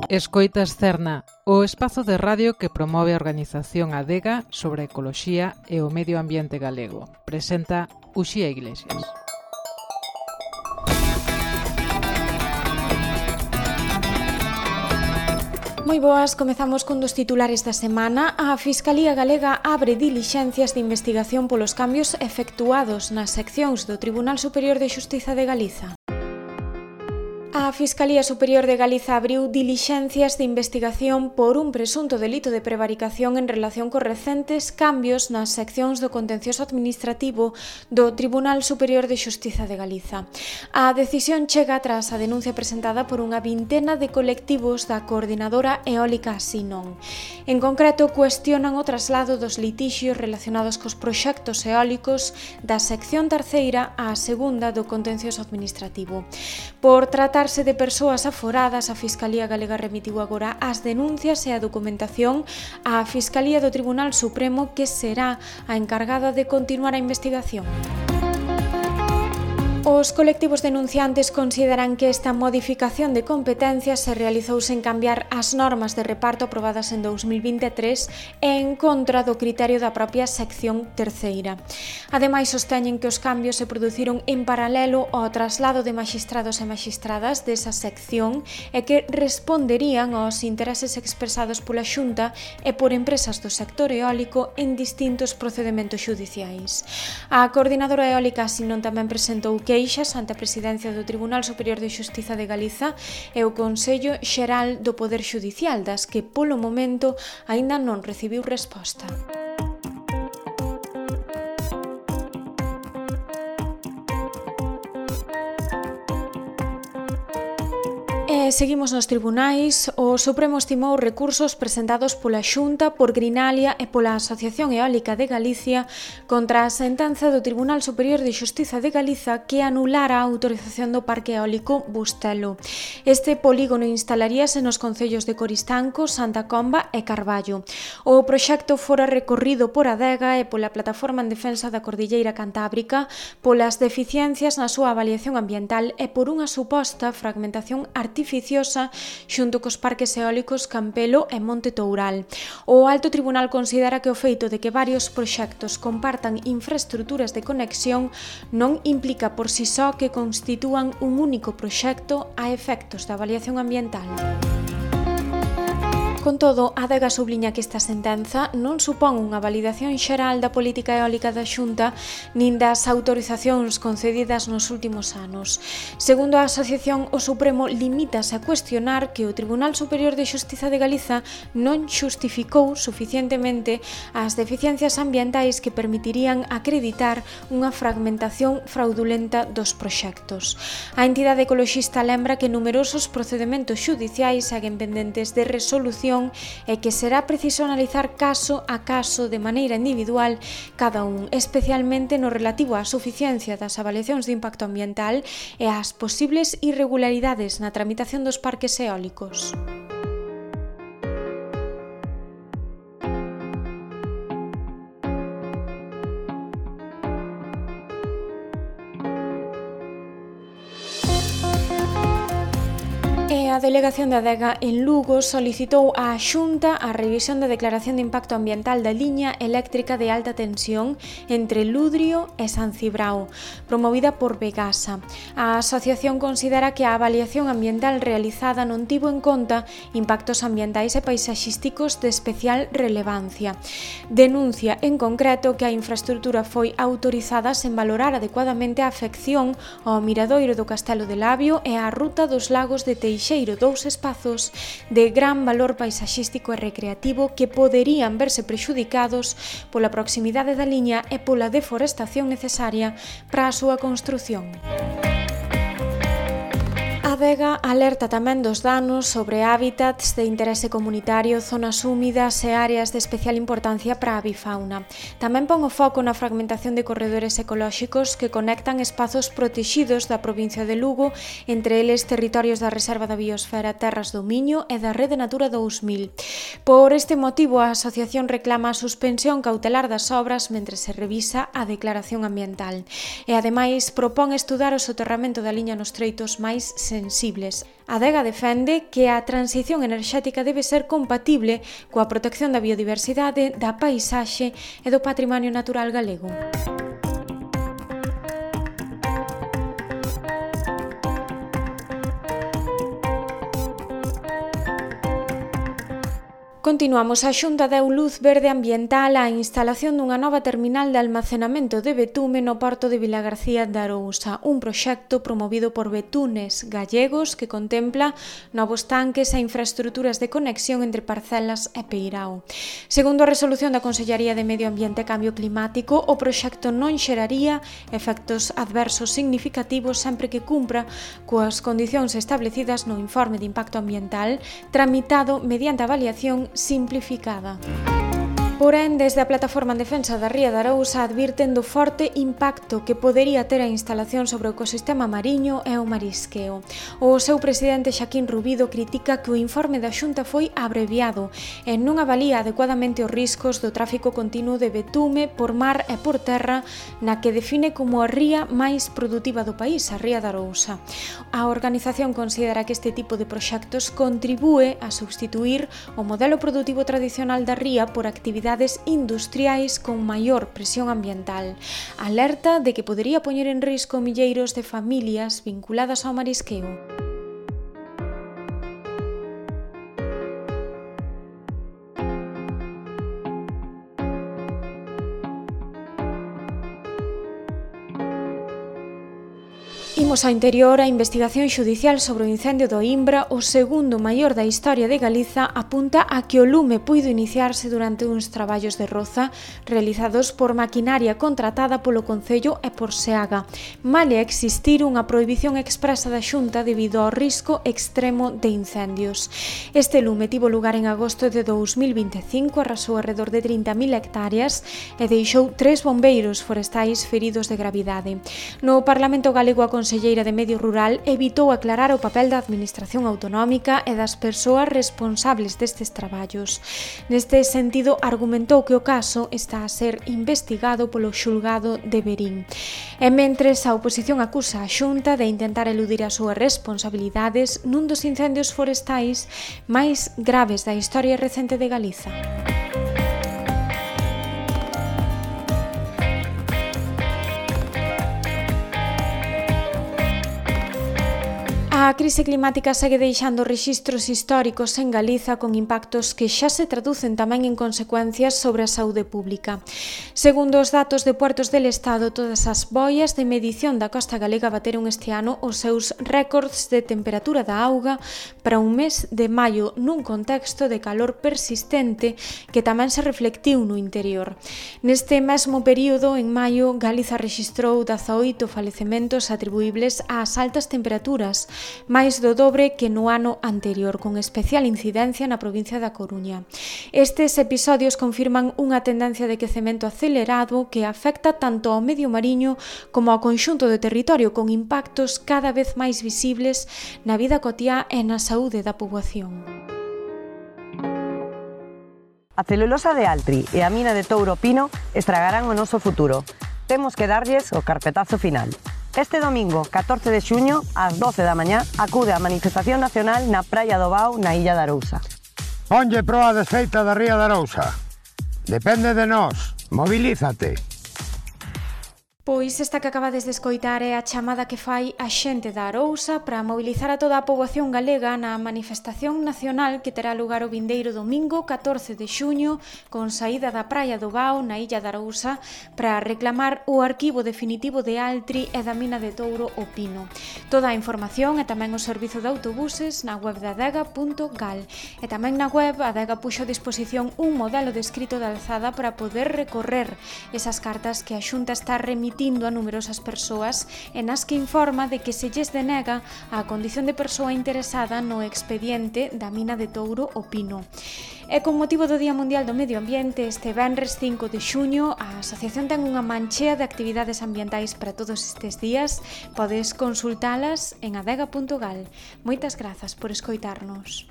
Escoitas Cerna, o espazo de radio que promove a organización Adega sobre a ecoloxía e o medio ambiente galego. Presenta Uxía Iglesias. Moi boas, comezamos cun dos titulares da semana. A Fiscalía Galega abre dilixencias de investigación polos cambios efectuados nas seccións do Tribunal Superior de Xustiza de Galiza. A Fiscalía Superior de Galiza abriu dilixencias de investigación por un presunto delito de prevaricación en relación cos recentes cambios nas seccións do contencioso administrativo do Tribunal Superior de Xustiza de Galiza. A decisión chega tras a denuncia presentada por unha vintena de colectivos da Coordinadora Eólica Sinon. En concreto, cuestionan o traslado dos litixios relacionados cos proxectos eólicos da sección terceira á segunda do contencioso administrativo. Por tratarse de persoas aforadas, a Fiscalía Galega remitiu agora as denuncias e a documentación á Fiscalía do Tribunal Supremo, que será a encargada de continuar a investigación. Os colectivos denunciantes consideran que esta modificación de competencias se realizou sen cambiar as normas de reparto aprobadas en 2023 e en contra do criterio da propia sección terceira. Ademais, sosteñen que os cambios se produciron en paralelo ao traslado de maxistrados e maxistradas desa sección e que responderían aos intereses expresados pola Xunta e por empresas do sector eólico en distintos procedementos xudiciais. A Coordinadora Eólica Sinon tamén presentou queixas ante a Presidencia do Tribunal Superior de Xustiza de Galiza e o Consello Xeral do Poder Xudicial, das que polo momento aínda non recibiu resposta. Seguimos nos tribunais. O Supremo estimou recursos presentados pola Xunta, por Grinalia e pola Asociación Eólica de Galicia contra a sentenza do Tribunal Superior de Xustiza de Galiza que anulara a autorización do Parque Eólico Bustelo. Este polígono instalaríase nos concellos de Coristanco, Santa Comba e Carballo. O proxecto fora recorrido por Adega e pola Plataforma en Defensa da Cordilleira Cantábrica polas deficiencias na súa avaliación ambiental e por unha suposta fragmentación artificial xunto cos parques eólicos Campelo e Monte Toural. O Alto Tribunal considera que o feito de que varios proxectos compartan infraestruturas de conexión non implica por si só que constitúan un único proxecto a efectos da avaliación ambiental. Con todo, Adega subliña que esta sentenza non supón unha validación xeral da política eólica da Xunta nin das autorizacións concedidas nos últimos anos. Segundo a asociación, o Supremo limítase a cuestionar que o Tribunal Superior de Xustiza de Galiza non xustificou suficientemente as deficiencias ambientais que permitirían acreditar unha fragmentación fraudulenta dos proxectos. A entidade ecoloxista lembra que numerosos procedementos xudiciais seguen pendentes de resolución e que será preciso analizar caso a caso de maneira individual cada un, especialmente no relativo á suficiencia das avaliacións de impacto ambiental e ás posibles irregularidades na tramitación dos parques eólicos. A Delegación de Adega en Lugo solicitou á Xunta a revisión da declaración de impacto ambiental da liña eléctrica de alta tensión entre Ludrio e San Cibrao, promovida por Vegasa. A asociación considera que a avaliación ambiental realizada non tivo en conta impactos ambientais e paisaxísticos de especial relevancia. Denuncia en concreto que a infraestrutura foi autorizada sen valorar adecuadamente a afección ao miradoiro do Castelo de Labio e á ruta dos lagos de Teixeiro, dous espazos de gran valor paisaxístico e recreativo que poderían verse prexudicados pola proximidade da liña e pola deforestación necesaria para a súa construción. Adega alerta tamén dos danos sobre hábitats de interese comunitario, zonas húmidas e áreas de especial importancia para a avifauna. Tamén pon o foco na fragmentación de corredores ecolóxicos que conectan espazos protexidos da provincia de Lugo, entre eles territorios da Reserva da Biosfera Terras do Miño e da Rede Natura 2000. Por este motivo, a asociación reclama a suspensión cautelar das obras mentre se revisa a declaración ambiental e, ademais, propón estudar o soterramento da liña nos treitos máis sensibles sensibles. A Adega defende que a transición enerxética debe ser compatible coa protección da biodiversidade, da paisaxe e do patrimonio natural galego. Continuamos. A Xunta deu luz verde ambiental á instalación dunha nova terminal de almacenamento de betume no porto de Vilagarcía de Arousa, un proxecto promovido por Betunes Gallegos que contempla novos tanques e infraestruturas de conexión entre Parcelas e Peirao. Segundo a resolución da Consellaría de Medio Ambiente e Cambio Climático, o proxecto non xeraría efectos adversos significativos sempre que cumpra coas condicións establecidas no informe de impacto ambiental tramitado mediante avaliación simplificada. Porén, desde a Plataforma en Defensa da Ría de Arousa advirten do forte impacto que podería ter a instalación sobre o ecosistema mariño e o marisqueo. O seu presidente Xaquín Rubido critica que o informe da Xunta foi abreviado e non avalía adecuadamente os riscos do tráfico continuo de betume por mar e por terra na que define como a ría máis produtiva do país, a Ría de Arousa. A organización considera que este tipo de proxectos contribúe a substituir o modelo produtivo tradicional da ría por actividades industriais con maior presión ambiental. Alerta de que podería poñer en risco milleiros de familias vinculadas ao marisqueo. Imos ao interior. A investigación xudicial sobre o incendio do Imbra, o segundo maior da historia de Galiza, apunta a que o lume puido iniciarse durante uns traballos de roza realizados por maquinaria contratada polo Concello e por Seaga, male existir unha prohibición expresa da Xunta debido ao risco extremo de incendios. Este lume tivo lugar en agosto de 2025, arrasou alrededor de 30.000 hectáreas e deixou 3 bombeiros forestais feridos de gravidade. No Parlamento galego, a Conselleira de Medio Rural evitou aclarar o papel da Administración Autonómica e das persoas responsables destes traballos. Neste sentido, argumentou que o caso está a ser investigado polo xulgado de Verín. E mentres, a oposición acusa a Xunta de intentar eludir as súas responsabilidades nun dos incendios forestais máis graves da historia recente de Galiza. A crise climática segue deixando rexistros históricos en Galiza con impactos que xa se traducen tamén en consecuencias sobre a saúde pública. Segundo os datos de Puertos del Estado, todas as boias de medición da costa galega bateron este ano os seus récords de temperatura da auga para un mes de maio nun contexto de calor persistente que tamén se reflectiu no interior. Neste mesmo período, en maio, Galiza rexistrou 18 falecementos atribuíbles ás altas temperaturas, máis do dobre que no ano anterior, con especial incidencia na provincia da Coruña. Estes episodios confirman unha tendencia de quecemento acelerado que afecta tanto ao medio mariño como ao conxunto do territorio, con impactos cada vez máis visibles na vida cotiá e na saúde da poboación. A celulosa de Altri e a mina de Touro Pino estragarán o noso futuro. Temos que darlles o carpetazo final. Este domingo, 14 de xuño, ás 12 da mañá, acude a manifestación nacional na Praia do Bao, na Illa de Arousa. Ponlle proa desfeita da Ría de Arousa. Depende de nós. Mobilízate. Pois esta que acabades de escoitar é a chamada que fai a xente da Arousa para mobilizar a toda a poboación galega na manifestación nacional que terá lugar o vindeiro domingo 14 de xuño con saída da Praia do Bao na Illa de Arousa para reclamar o arquivo definitivo de Altri e da mina de Touro o Pino. Toda a información e tamén o servizo de autobuses na web de adega.gal e tamén na web Adega puxo a disposición un modelo descrito de alzada para poder recorrer esas cartas que a Xunta está remitindo a numerosas persoas e nas que informa de que se lles denega a condición de persoa interesada no expediente da mina de Touro o Pino. E con motivo do Día Mundial do Medio Ambiente, este venres 5 de xuño, a asociación ten unha manchea de actividades ambientais para todos estes días. Podes consultalas en adega.gal. Moitas grazas por escoitarnos.